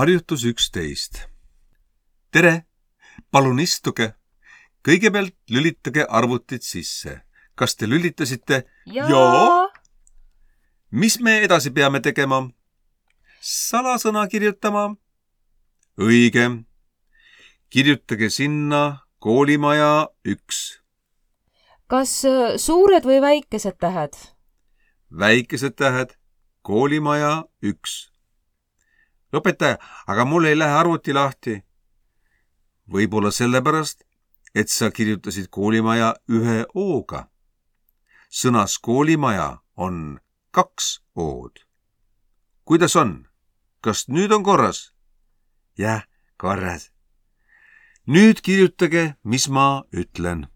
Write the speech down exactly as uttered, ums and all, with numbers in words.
Harjutus üksteist. Tere, palun istuge. Kõigepealt lülitage arvutid sisse. Kas te lülitasite? Jaa. Mis me edasi peame tegema? Salasõna kirjutama. Õige. Kirjutage sinna koolimaja üks. Kas suured või väikesed tähed? Väikesed tähed, koolimaja üks. Õpetaja, aga mul ei lähe arvuti lahti. Võib-olla sellepärast, et sa kirjutasid koolimaja ühe O-ga. Sõnas koolimaja on kaks O-d. Kuidas on? Kas nüüd on korras? Jah, korras. Nüüd kirjutage, mis ma ütlen.